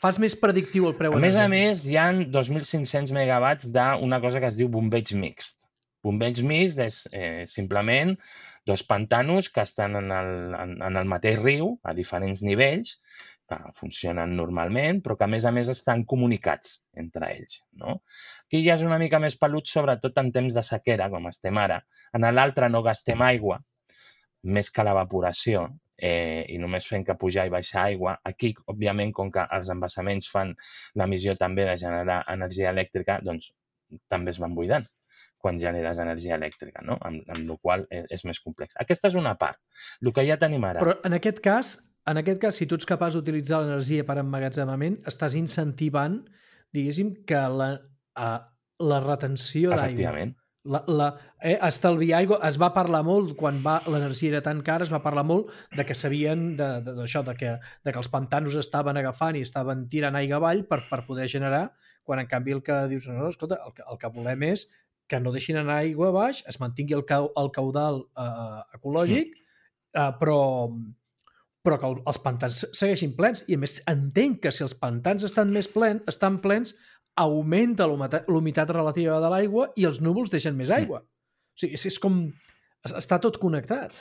Fas més predictiu el preu energètic. A més energètic. a més, hi ha dos mil cinc-cents megawatts d'una cosa que es diu bombeig mixt. Bombeig mixt és eh, simplement dos pantanos que estan en el, en, en el mateix riu, a diferents nivells, que funcionen normalment, però que a més a més estan comunicats entre ells. No? Aquí ja és una mica més pelut, sobretot en temps de sequera, com estem ara. En l'altre no gastem aigua, més que l'evaporació, eh, i només fem que pujar i baixar aigua. Aquí, òbviament, com que els embassaments fan l'emissió també de generar energia elèctrica, doncs també es van buidant quan generes energia elèctrica, no? Amb, amb la qual és, és més complex. Aquesta és una part. El que ja tenim ara... Però en aquest cas, en aquest cas, si tu ets capaç d'utilitzar l'energia per emmagatzemament, estàs incentivant, diguéssim, que la, uh, la retenció d'aigua... Efectivament. La, la, eh, estalviar aigua, es va parlar molt quan va l'energia era tan cara, es va parlar molt de que sabien d'això, de, de, de, que, de que els pantanos estaven agafant i estaven tirant aigua avall per, per poder generar, quan en canvi el que dius, no, no escolta, el que, el que volem és que no deixin anar aigua baix, es mantingui el, cau, el caudal eh, ecològic, eh, però, però que el, els pantans segueixin plens. I a més entenc que si els pantans estan més plens, estan plens, augmenta l'humitat relativa de l'aigua i els núvols deixen més aigua. O sigui, és, és com... Està tot connectat.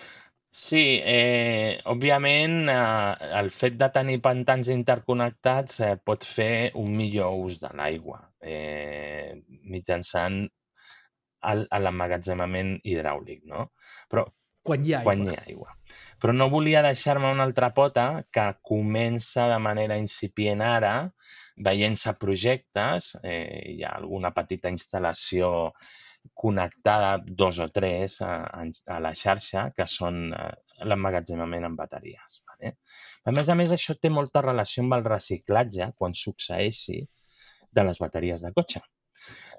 Sí, eh, òbviament eh, el fet de tenir pantans interconnectats eh, pot fer un millor ús de l'aigua eh, mitjançant l'emmagatzemament hidràulic, no? Però quan hi ha aigua. Quan hi ha aigua. Però no volia deixar-me una altra pota que comença de manera incipient ara, veient-se projectes, eh, hi ha alguna petita instal·lació connectada, dos o tres, a, a la xarxa, que són eh, l'emmagatzemament en bateries. Vale? A més a més, això té molta relació amb el reciclatge, quan succeeixi, de les bateries de cotxe.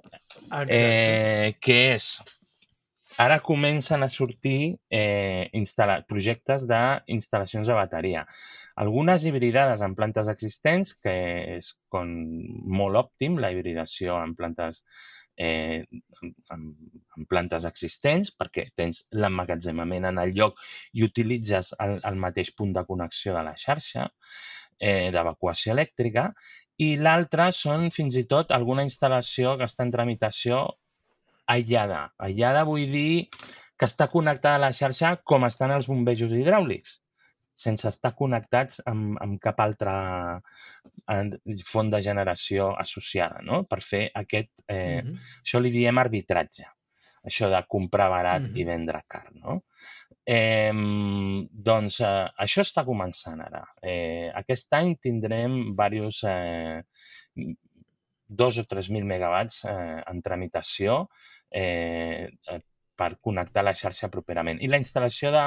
Exacte. Eh, que és... Ara comencen a sortir eh, projectes d'instal·lacions de bateria. Algunes hibridades en plantes existents, que és com molt òptim, la hibridació en plantes, eh, en, en plantes existents, perquè tens l'emmagatzemament en el lloc i utilitzes el, el mateix punt de connexió de la xarxa eh, d'evacuació elèctrica, i l'altra són fins i tot alguna instal·lació que està en tramitació aïllada. Aïllada vull dir que està connectada a la xarxa com estan els bombejos hidràulics, sense estar connectats amb, amb cap altra font de generació associada, no? Per fer aquest... Eh, uh-huh. Això li diem arbitratge, això de comprar barat uh-huh. i vendre car, no? Eh, doncs eh, això està començant ara. Eh, aquest any tindrem diversos... Eh, dos o tres mil megawatts eh, en tramitació eh, per connectar la xarxa properament. I la instal·lació de...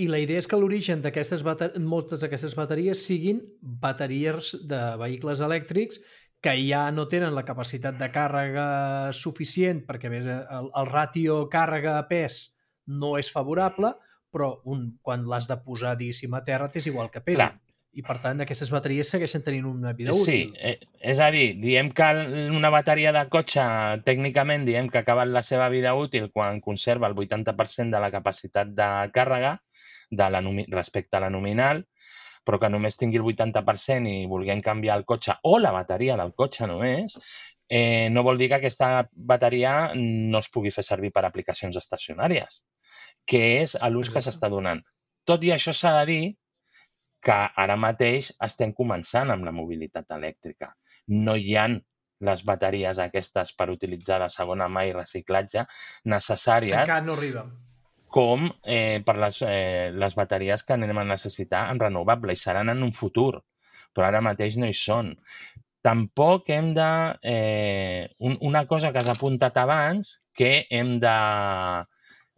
I la idea és que l'origen d'aquestes bateries, moltes d'aquestes bateries siguin bateries de vehicles elèctrics que ja no tenen la capacitat de càrrega suficient, perquè a més el, el ràtio càrrega-pes no és favorable, però un, quan l'has de posar, diguéssim, a terra, t'és igual que pesi. Clar. I, per tant, aquestes bateries segueixen tenint una vida útil. Sí, és a dir, diem que una bateria de cotxe, tècnicament, diem que ha acabat la seva vida útil quan conserva el vuitanta per cent de la capacitat de càrrega de la, respecte a la nominal, però que només tingui el vuitanta per cent i vulguem canviar el cotxe o la bateria del cotxe només, eh, no vol dir que aquesta bateria no es pugui fer servir per aplicacions estacionàries, que és l'ús que s'està donant. Tot i això s'ha de dir que ara mateix estem començant amb la mobilitat elèctrica. No hi ha les bateries aquestes per utilitzar de segona mà i reciclatge necessàries. Encara no arriba. Com eh, per les, eh, les bateries que anem a necessitar en renovable i seran en un futur, però ara mateix no hi són. Tampoc hem de... Eh, un, una cosa que has apuntat abans que hem de...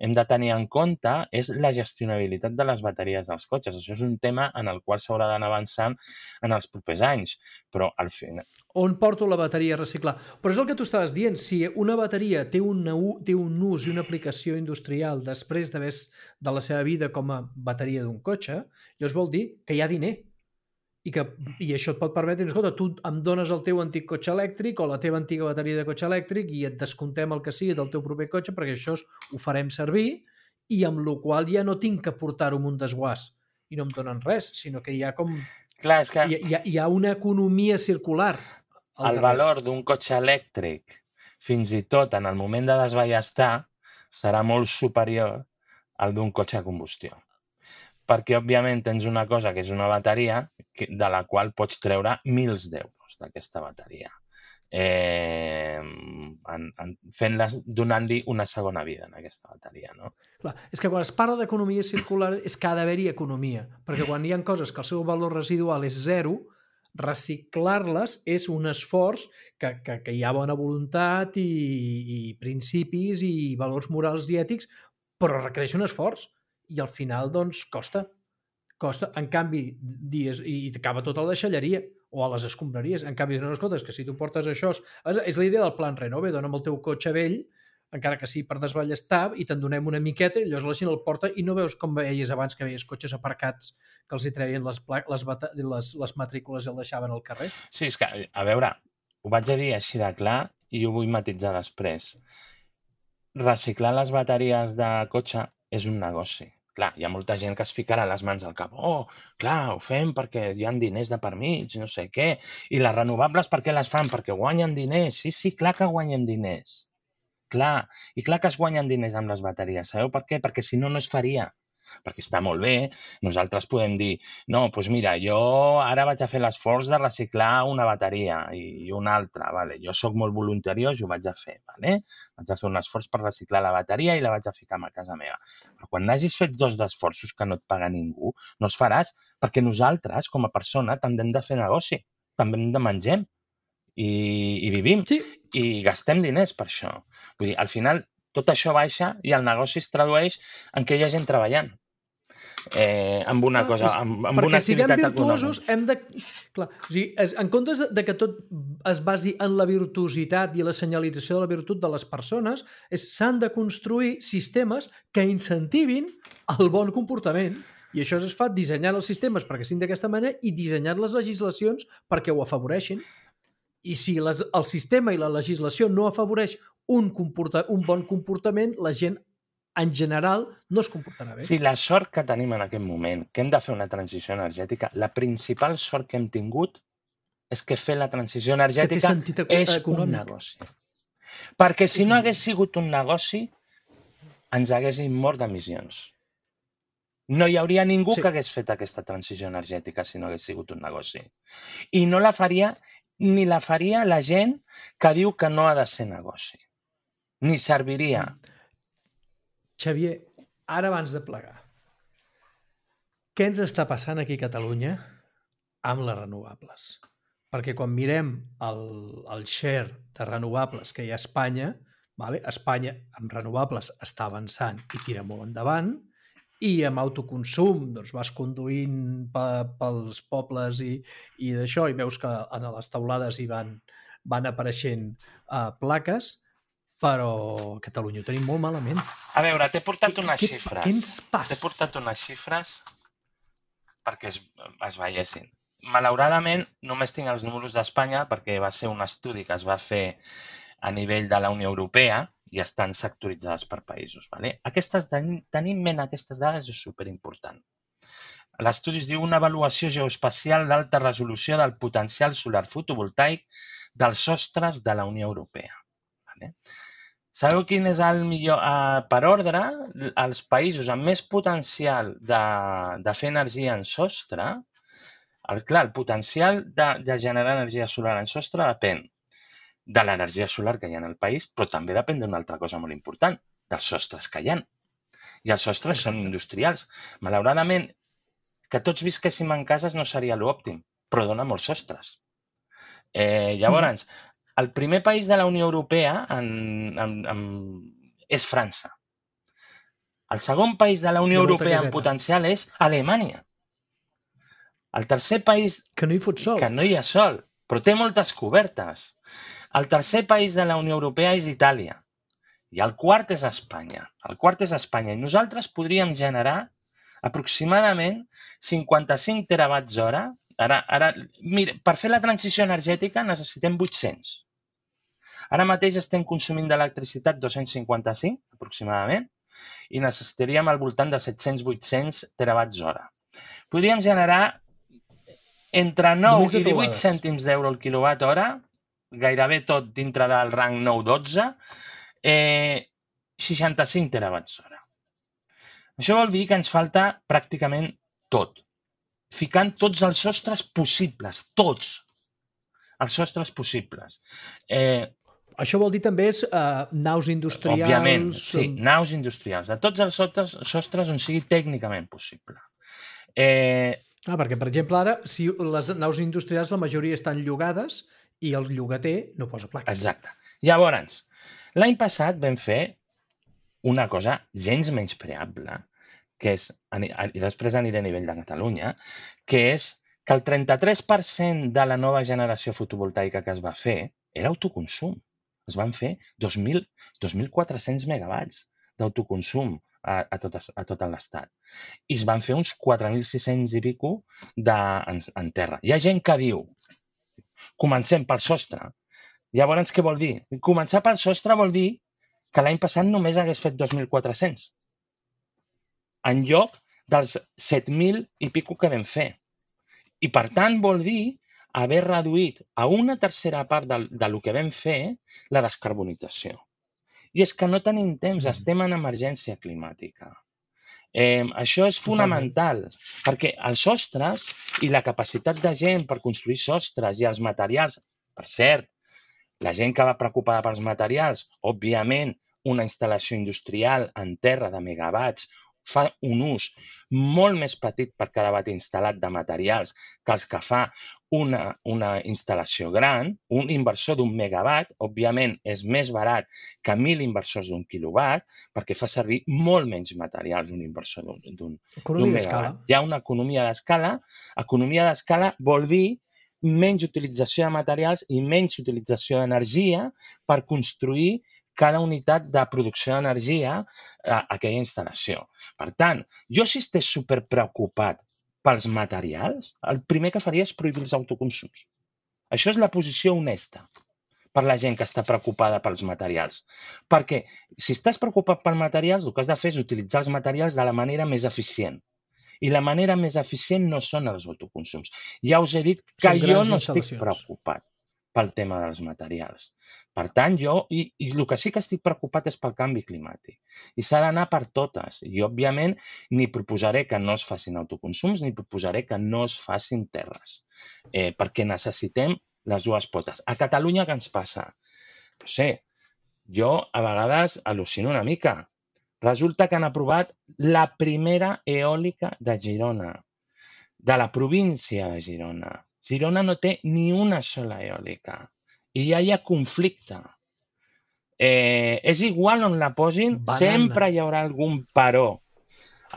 hem de tenir en compte és la gestionabilitat de les bateries dels cotxes. Això és un tema en el qual s'haurà d'anar avançant en els propers anys, però al final... On porto la bateria a reciclar? Però és el que tu estaves dient, si una bateria té, una, té un ús i una aplicació industrial després d'haver de la seva vida com a bateria d'un cotxe, llavors vol dir que hi ha diner. I, que, i això et pot permetre, escolta, tu em dones el teu antic cotxe elèctric o la teva antiga bateria de cotxe elèctric i et descomptem el que sigui del teu proper cotxe perquè això ho farem servir i amb la qual ja no tinc que portar-ho amb un desguàs i no em donen res, sinó que hi ha com... Clar, és que... Hi, hi, ha, hi ha una economia circular. El valor d'un cotxe elèctric, fins i tot en el moment de desballestar, serà molt superior al d'un cotxe de combustió. Perquè, òbviament, tens una cosa que és una bateria de la qual pots treure mils d'euros d'aquesta bateria, eh, donant-li una segona vida en aquesta bateria. No? Clar, és que quan es parla d'economia circular és que ha d'haver-hi economia, perquè quan hi ha coses que el seu valor residual és zero, reciclar-les és un esforç que, que, que hi ha bona voluntat i, i principis i valors morals i ètics, però requereix un esforç. I al final, doncs, costa. Costa. En canvi, dies, i acaba tot a la deixalleria o a les escombraries. En canvi, no escoltes, que si tu portes això... És la idea del plan Renove, dona'm el teu cotxe vell, encara que sigui per desballestar, i te'n donem una miqueta, i llavors la gent el porta i no veus com veies abans que veies cotxes aparcats que els hi treien les, les, les, les matrícules i el deixaven al carrer. Sí, és que, a veure, ho vaig a dir així de clar i ho vull matitzar després. Reciclar les bateries de cotxe és un negoci. Clar, hi ha molta gent que es ficarà les mans al cap. Oh, clar, ho fem perquè hi ha diners de per mig, no sé què. I les renovables per què les fan? Perquè guanyen diners. Sí, sí, clar que guanyen diners. Clar, i clar que es guanyen diners amb les bateries. Sabeu per què? Perquè si no, no es faria. Perquè està molt bé. Nosaltres podem dir, no, doncs mira, jo ara vaig a fer l'esforç de reciclar una bateria i una altra. Vale? Jo sóc molt voluntariós i ho vaig a fer. Vale? Vaig a fer un esforç per reciclar la bateria i la vaig a ficar a casa meva. Però quan n'hagis fet dos d'esforços que no et paga ningú, no els faràs perquè nosaltres, com a persona, també hem de fer negoci. També hem de menjar i, i vivim. Sí. I gastem diners per això. Vull dir, al final, tot això baixa i el negoci es tradueix en que hi ha gent treballant. eh, amb una cosa, amb, amb una activitat econòmica. Perquè siguem virtuosos hem de... Clar, o sigui, en comptes de que tot es basi en la virtuositat i la senyalització de la virtut de les persones, s'han de construir sistemes que incentivin el bon comportament. I això es fa dissenyant els sistemes perquè siguin d'aquesta manera i dissenyant les legislacions perquè ho afavoreixin. I si les, el sistema i la legislació no afavoreix un, comporta, un bon comportament, la gent en general no es comportarà bé. Sí, la sort que tenim en aquest moment, que hem de fer una transició energètica, la principal sort que hem tingut és que fer la transició energètica és, és un negoci. Perquè si no hagués sigut un negoci, ens haguéssim mort d'emissions. No hi hauria ningú sí. que hagués fet aquesta transició energètica si no hagués sigut un negoci. I no la faria, ni la faria la gent que diu que no ha de ser negoci. Ni serviria. Mm. Xavier, ara abans de plegar, què ens està passant aquí a Catalunya amb les renovables? Perquè quan mirem el, el share de renovables que hi ha a Espanya, vale? Espanya amb renovables està avançant i tira molt endavant, i amb autoconsum doncs, vas conduint pe, pels pobles i, i d'això, i veus que en les taulades hi van, van apareixent uh, plaques, però a Catalunya ho tenim molt malament. A veure, t'he portat unes què, xifres. Què ens passa? T'he portat unes xifres perquè es, es veiessin. Malauradament, només tinc els números d'Espanya perquè va ser un estudi que es va fer a nivell de la Unió Europea i estan sectoritzades per països. Vale? Aquestes, tenir en ment aquestes dades és superimportant. L'estudi es diu una avaluació geoespacial d'alta resolució del potencial solar fotovoltaic dels sostres de la Unió Europea. Vale? Sabeu quin és el millor? Eh, per ordre, els països amb més potencial de, de fer energia en sostre, el, clar, el potencial de, de generar energia solar en sostre depèn de l'energia solar que hi ha en el país, però també depèn d'una altra cosa molt important, dels sostres que hi ha. I els sostres Exacte. Són industrials. Malauradament, que tots visquéssim en cases no seria l'òptim, però dona molts sostres. Eh, llavors, mm. el primer país de la Unió Europea en, en, en, és França. El segon país de la Unió Europea en potencial és Alemanya. El tercer país... Que no hi fot sol. Que no hi ha sol, però té moltes cobertes. El tercer país de la Unió Europea és Itàlia. I el quart és Espanya. El quart és Espanya. I nosaltres podríem generar aproximadament cinquanta-cinc terawatts hora. Ara, ara, mira, per fer la transició energètica necessitem vuit-cents. Ara mateix estem consumint d'electricitat dos-cents cinquanta-cinc, aproximadament, i necessitaríem al voltant de set-cents a vuit-cents terawatts hora. Podríem generar entre nou i divuit cèntims d'euro el quilowatt hora, gairebé tot dintre del rang nou dotze, eh, seixanta-cinc terawatts hora. Això vol dir que ens falta pràcticament tot, ficant tots els sostres possibles, tots els sostres possibles. Eh, Això vol dir també és, uh, naus industrials... Òbviament, sí, naus industrials, de tots els sostres, sostres on sigui tècnicament possible. Eh, ah, perquè, per exemple, ara, si les naus industrials la majoria estan llogades i el llogater no posa plaques. Exacte. Llavors, l'any passat vam fer una cosa gens menyspreable, que és, i després aniré a nivell de Catalunya, que és que el trenta-tres per cent de la nova generació fotovoltaica que es va fer era autoconsum. Es van fer dos mil quatre-cents megawatts d'autoconsum a, a, tot, a tot l'estat. I es van fer uns quatre mil sis-cents i pico de, en, en terra. Hi ha gent que diu, comencem pel sostre. Llavors, què vol dir? Començar pel sostre vol dir que l'any passat només hagués fet dos mil quatre-cents. En lloc dels set mil i pico que vam fer. I per tant vol dir haver reduït a una tercera part del, del que vam fer la descarbonització. I és que no tenim temps, estem en emergència climàtica. Eh, això és fonamental, Totalment. Perquè els sostres i la capacitat de gent per construir sostres i els materials, per cert, la gent que va preocupada pels materials, òbviament, una instal·lació industrial en terra de megawatts fa un ús molt més petit per cada watt instal·lat de materials que els que fa una, una instal·lació gran, un inversor d'un megawatt, òbviament és més barat que mil inversors d'un quilowatt, perquè fa servir molt menys materials un inversor d'un megawatt. Hi ha una economia d'escala. Economia d'escala vol dir menys utilització de materials i menys utilització d'energia per construir cada unitat de producció d'energia a aquella instal·lació. Per tant, jo si estés superpreocupat pels materials, el primer que faria és prohibir els autoconsums. Això és la posició honesta per la gent que està preocupada pels materials. Perquè si estàs preocupat pels materials, el que has de fer és utilitzar els materials de la manera més eficient. I la manera més eficient no són els autoconsums. Ja us he dit que jo no estic preocupat pel tema dels materials. Per tant, jo, i, i el que sí que estic preocupat és pel canvi climàtic. I s'ha d'anar per totes. I, òbviament, ni proposaré que no es facin autoconsums, ni proposaré que no es facin terres. Eh, perquè necessitem les dues potes. A Catalunya què ens passa? No sé, jo a vegades al·lucino una mica. Resulta que han aprovat la primera eòlica de Girona, de la província de Girona. Girona no té ni una sola eòlica i ja hi ha conflicte. Eh, és igual on la posin, Banana. Sempre hi haurà algun paró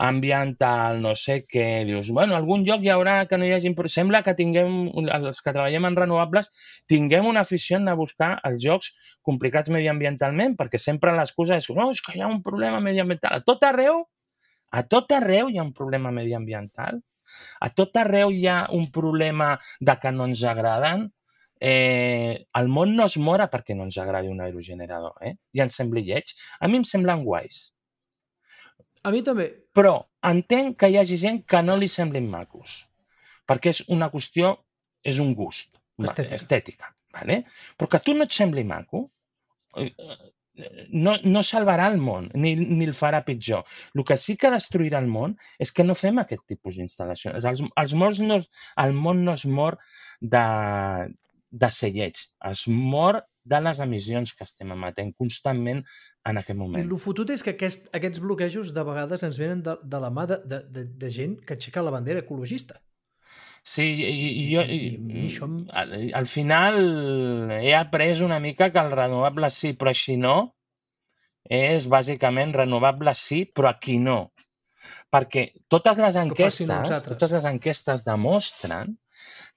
ambiental, no sé què. Dius, bueno, algun lloc hi haurà que no hi hagi... Sembla que tinguem, els que treballem en renovables, tinguem una afició de buscar els jocs complicats mediambientalment, perquè sempre l'excusa és, no, és que hi ha un problema mediambiental. A tot arreu, a tot arreu hi ha un problema mediambiental. A tot arreu hi ha un problema de que no ens agraden. Eh, el món no es mora perquè no ens agradi un aerogenerador, eh? I ens sembli lleig. A mi em semblen guais. A mi també. Però entenc que hi hagi gent que no li semblin macos, perquè és una qüestió, és un gust. Estètica. Estètica, vale? Però que a tu no et sembli maco, no, no salvarà el món, ni, ni el farà pitjor. El que sí que destruirà el món és que no fem aquest tipus d'instal·lacions. Els, els morts no, el món no es mor de, de ser lleig, es mor de les emissions que estem emetent constantment en aquest moment. I el fotut és que aquest, aquests bloquejos de vegades ens venen de, de la mà de, de, de gent que aixeca la bandera ecologista. Sí, i, i jo i, i això... al, al final he après una mica que el renovable sí, però així no, és bàsicament renovable sí, però aquí no. Perquè totes les enquestes, totes les enquestes demostren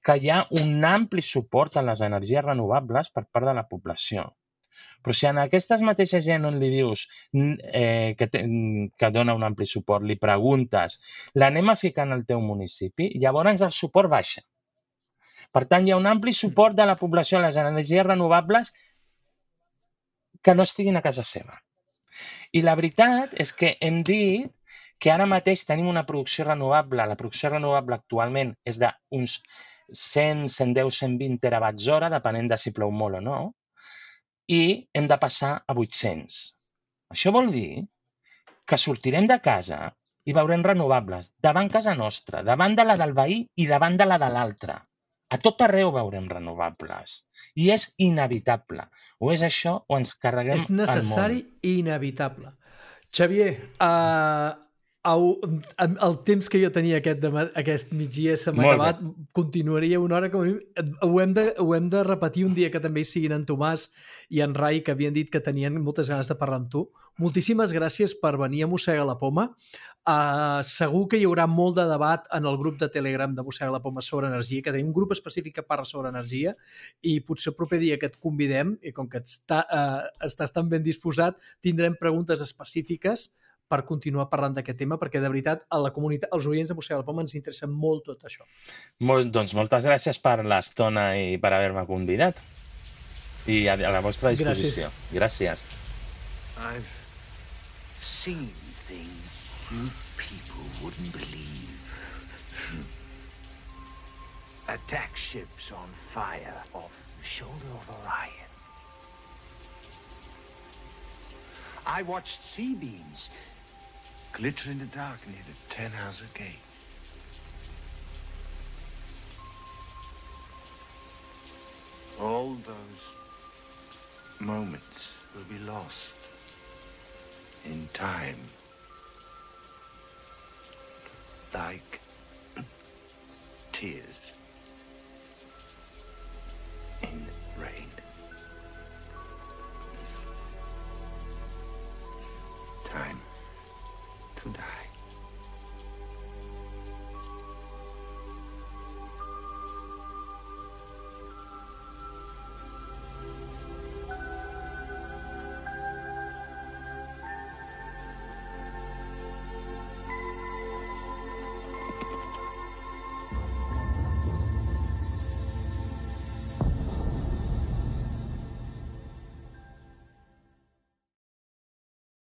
que hi ha un ampli suport a les energies renovables per part de la població. Però si en aquestes mateixes gent on li dius eh, que, te, que dona un ampli suport, li preguntes, l'anem a ficar en el teu municipi, llavors el suport baixa. Per tant, hi ha un ampli suport de la població a les energies renovables que no estiguin a casa seva. I la veritat és que hem dit que ara mateix tenim una producció renovable. La producció renovable actualment és d'uns cent, cent deu, cent vint terawatts hora, depenent de si plou molt o no, i hem de passar a vuit-cents. Això vol dir que sortirem de casa i veurem renovables davant casa nostra, davant de la del veí i davant de la de l'altre. A tot arreu veurem renovables. I és inevitable. O és això o ens carreguem el món. És necessari i inevitable. Xavier, uh, el, el temps que jo tenia aquest, de, aquest migdia se m'ha acabat. Continuaria una hora com a mínim. Ho hem, de, ho hem de repetir un dia que també hi siguin en Tomàs i en Rai, que havien dit que tenien moltes ganes de parlar amb tu. Moltíssimes gràcies per venir a Mossega la Poma. Uh, segur que hi haurà molt de debat en el grup de Telegram de Mossega la Poma sobre energia, que tenim un grup específic que parla sobre energia, i potser el proper dia que et convidem, i com que està, uh, estàs tan ben disposat, tindrem preguntes específiques per continuar parlant d'aquest tema, perquè de veritat a la comunitat, als oients de Mossega la Poma ens interessa molt tot això. Molt, doncs moltes gràcies per l'estona i per haver-me convidat. I a, a la vostra disposició. Gràcies. Gràcies. I've seen things you people wouldn't believe. Attack ships on fire off the shoulder of Orion. I watched sea beams glitter in the dark near the Tannhauser Gate. All those moments will be lost in time, like tears. die.